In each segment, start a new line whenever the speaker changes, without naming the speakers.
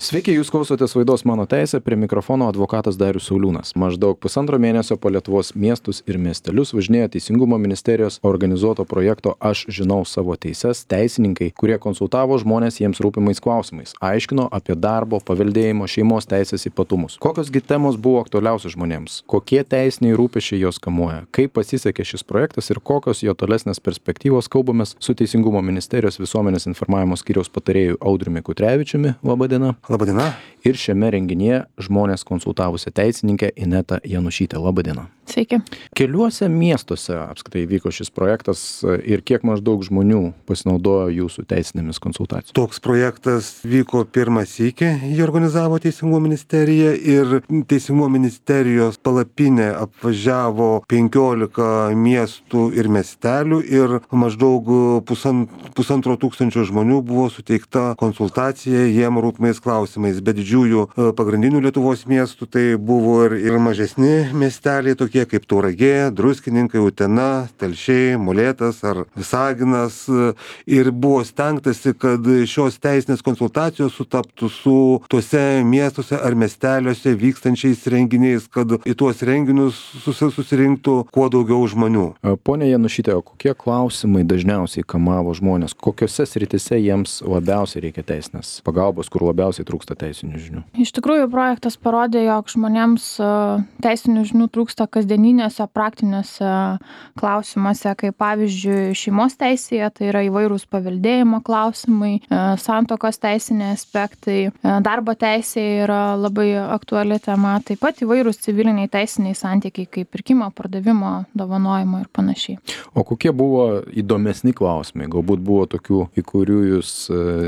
Sveiki, jūs klausotės laidos Mano teisė, prie mikrofono advokatas Darius Sauliūnas. Maždaug pusantro mėnesio po Lietuvos miestus ir miestelius važinėjo Teisingumo ministerijos organizuoto projekto Aš žinau savo teises teisininkai, kurie konsultavo žmonės jiems rūpimais klausimais, aiškino apie darbo, paveldėjimo, šeimos teisės ypatumus. Kokios gi temos buvo aktualiausios žmonėms, kokie teisiniai rūpesčiai jos kamuoja, kaip pasisekė šis projektas ir kokios jo tolesnės perspektyvos, kalbamės su Teisingumo ministerijos visuomenės informavimo skyriaus patarėju Audriumi Kutrevičiumi. Labą dieną.
Labadiena.
Ir šiame renginyje žmonės konsultavusią teisininkę Inetą Janušytę. Labadiena.
Sveiki.
Keliuose miestuose apskritai vyko šis projektas ir kiek maždaug žmonių pasinaudojo jūsų teisinėmis konsultacijomis?
Toks projektas vyko pirmą sykį, jį organizavo Teisingumo ministerija ir Teisingumo ministerijos palapinę apvažiavo 15 miestų ir miestelių ir maždaug pusantro tūkstančio žmonių buvo suteikta konsultacija jiem rūpimais klausimais. Be didžiųjų pagrindinių Lietuvos miestų tai buvo ir mažesni miesteliai tokie kaip Tauragė, Druskininkai, Utena, Telšiai, Molėtas ar Visaginas. Ir buvo stengtasi, kad šios teisinės konsultacijos sutaptų su tuose miestuose ar miesteliuose vykstančiais renginiais, kad į tuos renginius susirinktų kuo daugiau žmonių.
Pone Janušyte, o kokie klausimai dažniausiai kamavo žmonės? Kokiose sritise jiems labiausiai reikia teisinės pagalbos, kur labiausiai trūksta teisinių žinių?
Iš tikrųjų, projektas parodė, jog žmonėms teisinių žinių trūksta kasdieninėse, praktiniuose klausimuose, kaip pavyzdžiui šeimos teisėje, tai yra įvairūs paveldėjimo klausimai, santuokos teisiniai aspektai, darbo teisėje yra labai aktuali tema, taip pat įvairūs civiliniai teisiniai santykiai, kaip pirkimo, pardavimo, dovanojimo ir panašiai.
O kokie buvo įdomesni klausimai? Galbūt buvo tokių, į kurių jūs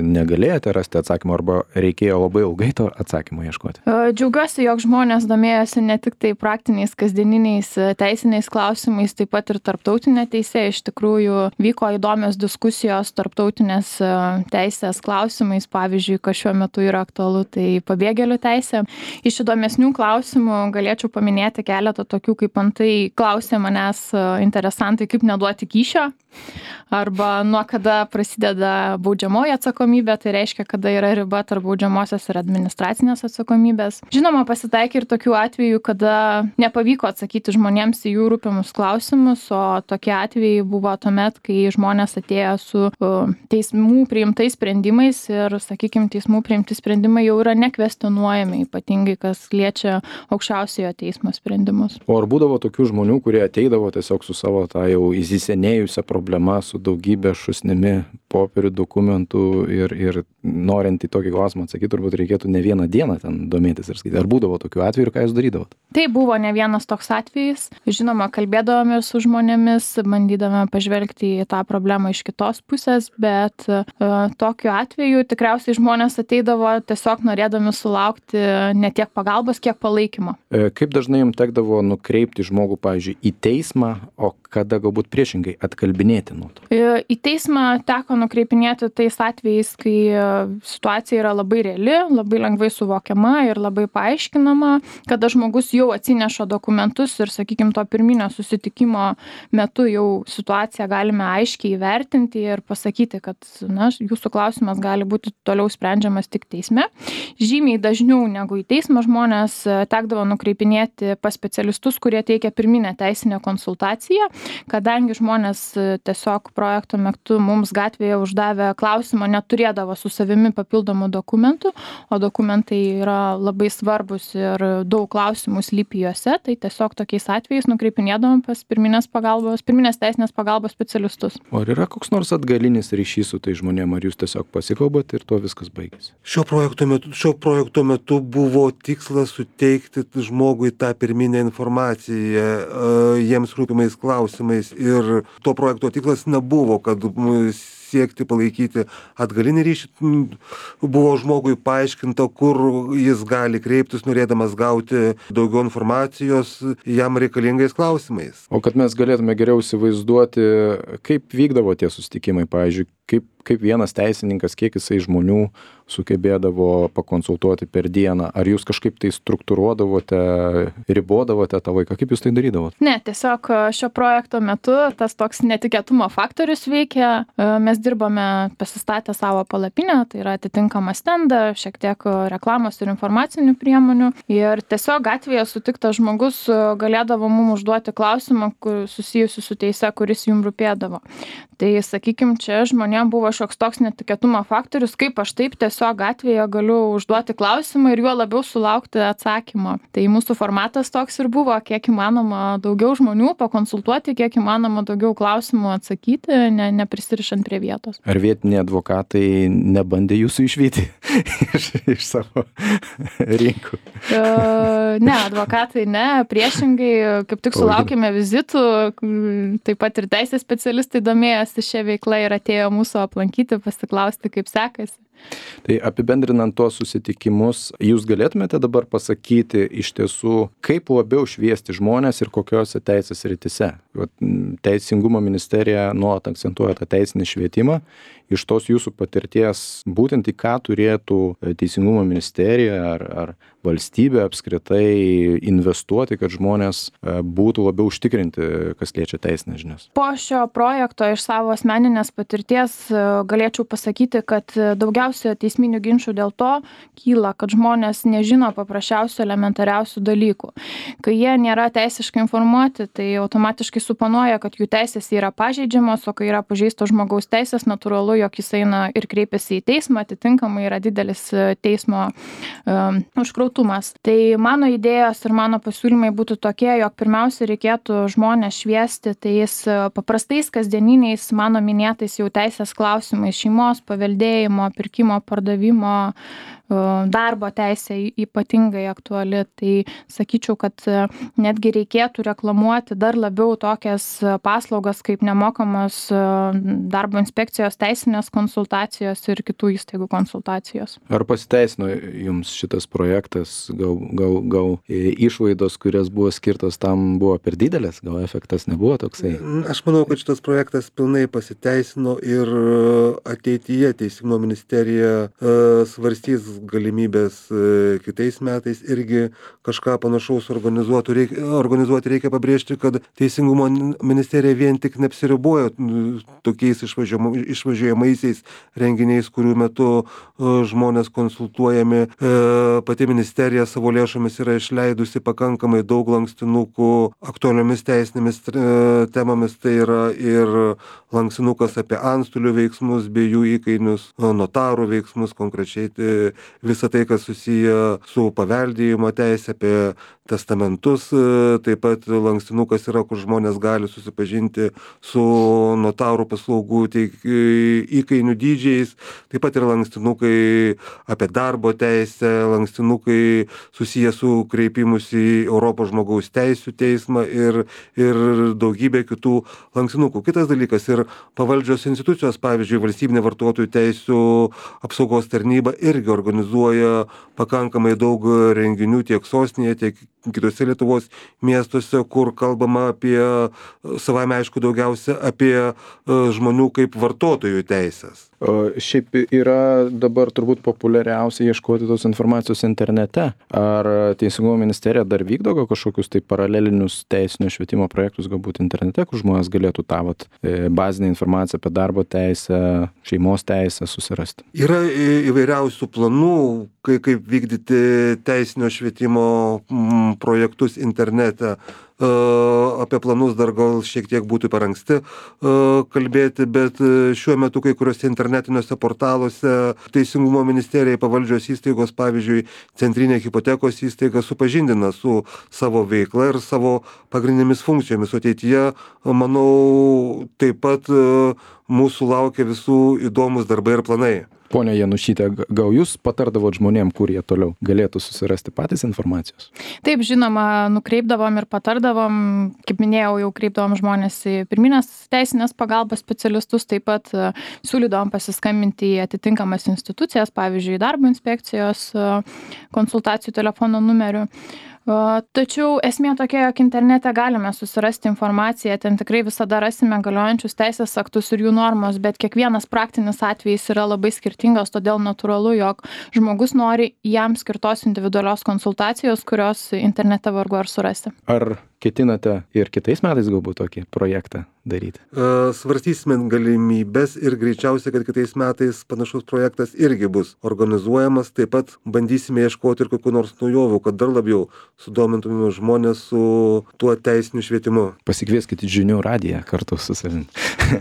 negalėjote rasti atsakymą arba reikėjo labai ilgai to atsakymą ieškoti?
Džiaugiuosi, jog žmonės domėjosi ne tik tai praktiniais, kasdieniniais teisiniais klausimais, taip pat ir tarptautinė teisė. Iš tikrųjų vyko įdomios diskusijos tarptautinės teisės klausimais, pavyzdžiui, kas šiuo metu yra aktualu, tai pabėgėlių teisė. Iš įdomesnių klausimų galėčiau paminėti keletą tokių, kaip antai klausė manęs interesantai, kaip neduoti kyšio, arba nuo kada prasideda baudžiamoji atsakomybė, tai reiškia, kada yra riba tarp baudžiamosios ir administracinės atsakomybės. Žinoma, pasitaikė ir tokių atvejų, kada nepavyko atsakyti žmonėms į jų rūpimus klausimus, o tokie atvejai buvo tuomet, kai žmonės atėjo su teismų priimtais sprendimais ir, sakykime, teismų priimti sprendimai jau yra nekvestionuojami, ypatingai kas liečia aukščiausiojo teismo sprendimus.
O ar būdavo tokių žmonių, kurie ateidavo tiesiog su savo tą jau įsisenėjusią problemą, su daugybė šūsnimi popierių, dokumentų ir norint į tokį klausimą atsakyti, turbūt reikėtų ne vieną dieną ten domėtis ir skaityti. Ar būdavo tokių atvejų ir ką jūs darydavot?
Tai buvo ne vienas toks atvejis. Žinoma, kalbėdavome su žmonėmis, bandydavome pažvelgti į tą problemą iš kitos pusės, bet tokiu atveju tikriausiai žmonės ateidavo tiesiog norėdami sulaukti ne tiek pagalbos, kiek palaikymo.
Kaip dažnai jums tekdavo nukreipti žmogų, pavyzdžiui, į teismą, o kada galbūt priešingai atkalbinėti nuo to?
Į teismą teko nukreipinėti tais atvejais, kai situacija yra labai reali, labai lengvai suvokiama ir labai paaiškinama, kada žmogus jau atsineša dokumentus ir, sakykime, to pirminio susitikimo metu jau situaciją galime aiškiai įvertinti ir pasakyti, kad jūsų klausimas gali būti toliau sprendžiamas tik teisme. Žymiai dažniau negu į teismą žmonės tekdavo nukreipinėti pas specialistus, kurie teikia pirminę teisinę konsultaciją, kadangi žmonės tiesiog projekto metu mums gatvėje uždavę klausimą neturėdavo su savimi papildomų dokumentų, o dokumentai yra labai svarbus ir daug klausimų slypi juose, tai tiesiog tokiais atvejais nukreipinėdavom pas pirminės teisinės pagalbos specialistus.
O ar yra koks nors atgalinis ryšys su tai žmonėm, ar jūs tiesiog pasikalbat ir tuo viskas baigėsi?
Šio projekto metu buvo tikslas suteikti žmogui tą pirminę informaciją jiems rūpimais klausimais ir to projekto tikslas nebuvo, kad siekti palaikyti atgalinį ryšį. Buvo žmogui paaiškinta, kur jis gali kreiptis, norėdamas gauti daugiau informacijos jam reikalingais klausimais.
O kad mes galėtume geriau įsivaizduoti, kaip vykdavo tie susitikimai, pavyzdžiui, kaip vienas teisininkas, kiek jisai žmonių sugebėdavo pakonsultuoti per dieną? Ar jūs kažkaip tai struktūruodavote, ribodavote tą laiką? Kaip jūs tai darydavote?
Ne, tiesiog šio projekto metu tas toks netikėtumo faktorius veikia. Mes dirbame pasistatę savo palapinę, tai yra atitinkamą stendą, šiek tiek reklamos ir informacinių priemonių. Ir tiesiog gatvėje sutiktas žmogus galėdavo mums užduoti klausimą susijusiu su teise, kuris jums rūpėdavo. Tai, sakykime, čia žmonėms buvo šioks toks netikėtumo faktorius, kaip aš taip tiesiog gatvėje galiu užduoti klausimą ir juo labiau sulaukti atsakymo. Tai mūsų formatas toks ir buvo, kiek įmanoma daugiau žmonių pakonsultuoti, kiek įmanoma daugiau klausimų atsakyti, neprisirišant prie vietos.
Ar vietiniai advokatai nebandė jūsų išvyti iš savo rinkų?
Ne, advokatai ne, priešingai, kaip tik sulaukėme vizitų, taip pat ir teisės specialistai domėjosi šią veiklą ir atėjo mūsų aplankyti, pasiklausti, kaip sekasi.
Tai apibendrinant tuos susitikimus, jūs galėtumėte dabar pasakyti iš tiesų, kaip labiau šviesti žmonės ir kokiose teisės rytise? Teisingumo ministerija nuolat akcentuoja tą teisinį švietimą. Iš tos jūsų patirties, būtent į ką turėtų Teisingumo ministerija ar valstybė apskritai investuoti, kad žmonės būtų labiau užtikrinti, kas liečia teisinės žinias?
Po šio projekto iš savo asmeninės patirties galėčiau pasakyti, kad daugiausia teisminių ginčų dėl to kyla, kad žmonės nežino paprasčiausių elementariausių dalykų. Kai jie nėra teisiškai informuoti, tai automatiškai suponuoja, kad jų teisės yra pažeidžiamos, o kai yra pažeistos žmogaus teisės, natūralu, jog jis eina ir kreipiasi į teismą, atitinkamai yra didelis teismo užkrautumas. Tai mano idėjos ir mano pasiūlymai būtų tokie, jog pirmiausia reikėtų žmonės šviesti tais paprastais kasdieniniais mano minėtais jau teisės klausimais, šeimos, paveldėjimo, pirkimo, pardavimo, darbo teisė ypatingai aktuali. Tai sakyčiau, kad netgi reikėtų reklamuoti dar labiau tokias paslaugas kaip nemokamos darbo inspekcijos teisinės konsultacijos ir kitų įstaigų konsultacijos.
Ar pasiteisino jums šitas projektas? Gal išlaidos, kurias buvo skirtos tam, buvo per didelės? Gal efektas nebuvo toksai?
Aš manau, kad šitas projektas pilnai pasiteisino ir ateityje Teisingumo ministerija svarstys galimybės kitais metais irgi kažką panašaus organizuoti. Reikia pabrėžti, kad Teisingumo ministerija vien tik neapsiribojo tokiais išvažiuojamaisiais renginiais, kurių metu žmonės konsultuojami. Pati ministerija savo lėšomis yra išleidusi pakankamai daug lankstinukų aktualiomis teisinėmis temomis. Tai yra ir lankstinukas apie antstolių veiksmus bei jų įkainius, notarų veiksmus, konkrečiai visą tai, kas susiję su paveldėjimo teisė, apie testamentus. Taip pat lankstinukas yra, kur žmonės gali susipažinti su notarų paslaugų įkainių dydžiais. Taip pat yra lankstinukai apie darbo teisę, lankstinukai susiję su kreipimus į Europos žmogaus teisių teismą ir daugybė kitų lankstinukų. Kitas dalykas ir pavaldžios institucijos, pavyzdžiui, valstybinė vartotojų teisių apsaugos tarnyba irgi organizuoja pakankamai daug renginių tiek sostinėje, tiek kitose Lietuvos miestuose, kur kalbama apie, savame aišku, daugiausia apie žmonių kaip vartotojų teisės.
Šiaip yra dabar turbūt populiariausia ieškoti tos informacijos internete. Ar Teisingumo ministerija dar vykdo kažkokius tai paralelinius teisinio švietimo projektus, galbūt internete, kur žmonės galėtų tą bazinę informaciją apie darbo teisę, šeimos teisę susirasti? Yra
įvairiausių planų, kaip vykdyti teisinio švietimo projektus internete. Apie planus dar gal šiek tiek būtų per anksti kalbėti, bet šiuo metu kai kuriuose internetiniuose portaluose Teisingumo ministerijai pavaldžios įstaigos, pavyzdžiui, Centrinė hipotekos įstaiga supažindina su savo veikla ir savo pagrindinėmis funkcijomis. Ateityje, manau, taip pat mūsų laukia visų įdomus darbai ir planai.
Pone Janušyte, gal jūs patardavot žmonėm, kur jie toliau galėtų susirasti patys informacijos?
Taip, žinoma, nukreipdavom ir patardavom, kaip minėjau, jau kreipdavom žmonės į pirminės teisinės pagalbos specialistus, taip pat siūlydavom pasiskambinti į atitinkamas institucijas, pavyzdžiui, darbo inspekcijos konsultacijų telefono numeriu. Tačiau esmė tokia, jog internete galime susirasti informaciją, ten tikrai visada rasime galiojančius teisės aktus ir jų normos, bet kiekvienas praktinis atvejis yra labai skirtingas, todėl natūralu, jog žmogus nori jam skirtos individualios konsultacijos, kurios internete vargu ar surasti.
Ar ketinate ir kitais metais galbūt tokį projektą daryti?
Svarstysime galimybės ir greičiausiai, kad kitais metais panašus projektas irgi bus organizuojamas. Taip pat bandysime ieškoti ir kokių nors naujovių, kad dar labiau sudomintume žmonės su tuo teisiniu švietimu.
Pasikvieskite žinių radiją kartu su savimi.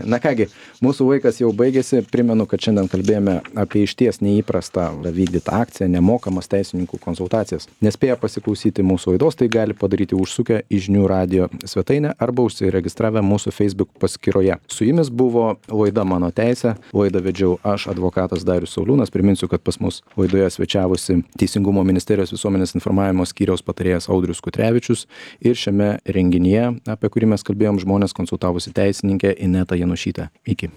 Na kągi, mūsų laikas jau baigėsi. Primenu, kad šiandien kalbėjome apie išties neįprastą vykdytą akciją, nemokamas teisininkų konsultacijas. Nespėję pasiklausyti mūsų laidos, tai gali padaryti užsukę į Žinių radijo svetainę arba užsiregistravę mūsų Facebook paskyroje. Su jumis buvo laida Mano teisė. Laidą vedžiau aš, advokatas Darius Sauliūnas. Priminsiu, kad pas mus laidoje svečiavosi Teisingumo ministerijos visuomenės informavimo skyriaus patarėjas Audrius Kutrevičius ir šiame renginyje, apie kurį mes kalbėjom, žmonės konsultavosi teisininkė Ineta Janušytė. Iki.